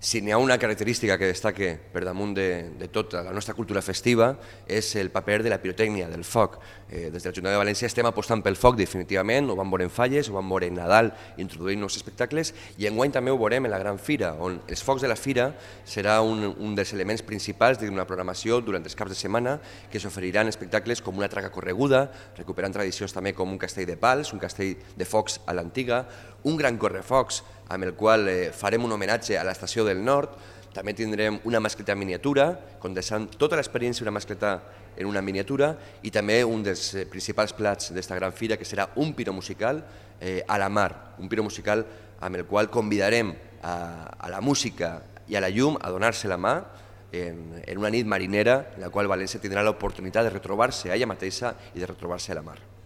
Si n'hi ha una característica que destaca per damunt de tota la nostra cultura festiva és el paper de la pirotècnia, del foc. Des de l'Ajuntament de València estem apostant pel foc definitivament, ho vam veure en Falles, ho vam veure en Nadal, introduint nous espectacles, i enguany també ho veurem en la Gran Fira, on els focs de la Fira serà un dels elements principals d'una programació durant els caps de setmana que s'oferiran espectacles com una traca correguda, recuperant tradicions també com un castell de pals, un castell de focs a l'antiga, un gran correfocs amb el qual farem un homenatge a l'Estació del Nord. També tindrem una mascleta miniatura, condensant tota l'experiència d'una mascleta en una miniatura, i també un dels principals plats d'esta gran fira, que serà un piro musical a la mar, un piro musical amb el qual convidarem a la música i a la llum a donar-se la mà en una nit marinera en la qual València tindrà l'oportunitat de retrobar-se a ella mateixa i de retrobar-se a la mar.